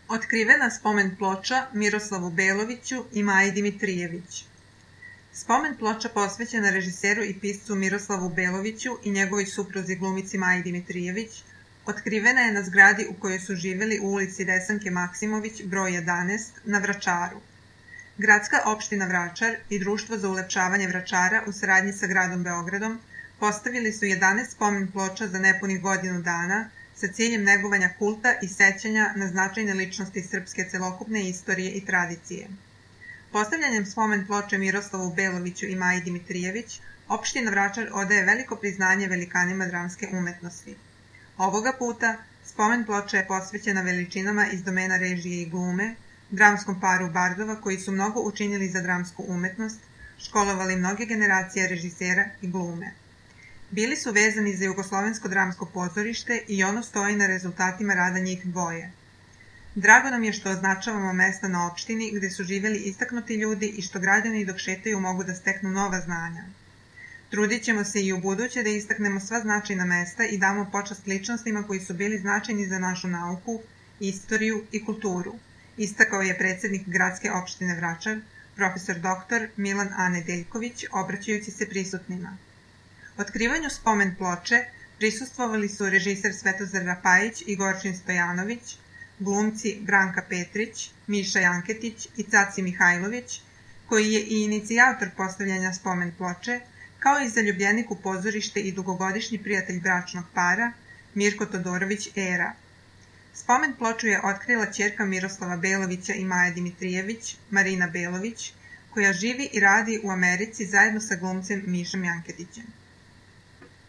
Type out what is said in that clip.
Otkrivena spomen ploča Miroslavu Beloviću i Maji Dimitrijević. Spomen ploča posvećena režiseru i piscu Miroslavu Beloviću i njegovoj supruzi glumici Maji Dimitrijević otkrivena je na zgradi u kojoj su živjeli u ulici Desanke Maksimović, broj 11, na Vračaru. Gradska opština Vračar i Društvo za ulepšavanje Vračara u saradnji sa gradom Beogradom postavili su 11 spomen ploča za nepunih godinu dana sa ciljem negovanja kulta i sećanja na značajne ličnosti srpske celokupne istorije i tradicije. Postavljanjem spomen ploče Miroslavu Beloviću i Maji Dimitrijević, opština Vračar odaje veliko priznanje velikanima dramske umetnosti. Ovoga puta spomen ploča je posvećena veličinama iz domena režije i glume, dramskom paru bardova koji su mnogo učinili za dramsku umetnost, školovali mnoge generacije režisera i glume. Bili su vezani za Jugoslovensko dramsko pozorište i ono stoji na rezultatima rada njih dvoje. Drago nam je što označavamo mesta na opštini gde su živjeli istaknuti ljudi i što građani dok šetaju mogu da steknu nova znanja. Trudit ćemo se i u buduće da istaknemo sva značajna mesta i damo počast ličnostima koji su bili značajni za našu nauku, istoriju i kulturu, istakao je predsednik gradske opštine Vračar, profesor dr. Milan A. Nedeljković, obraćajući se prisutnima. Otkrivanju spomen ploče prisustvovali su režiser Svetozar Rapajić i Gorčin Stojanović, glumci Branka Petrić, Miša Janketić i Caci Mihajlović, koji je i inicijator postavljanja spomen ploče, kao i zaljubljenik u pozorište i dugogodišnji prijatelj bračnog para, Mirko Todorović Era. Spomen ploču je otkrila ćerka Miroslava Belovića i Maje Dimitrijević, Marina Belović, koja živi i radi u Americi zajedno sa glumcem Mišom Janketićem.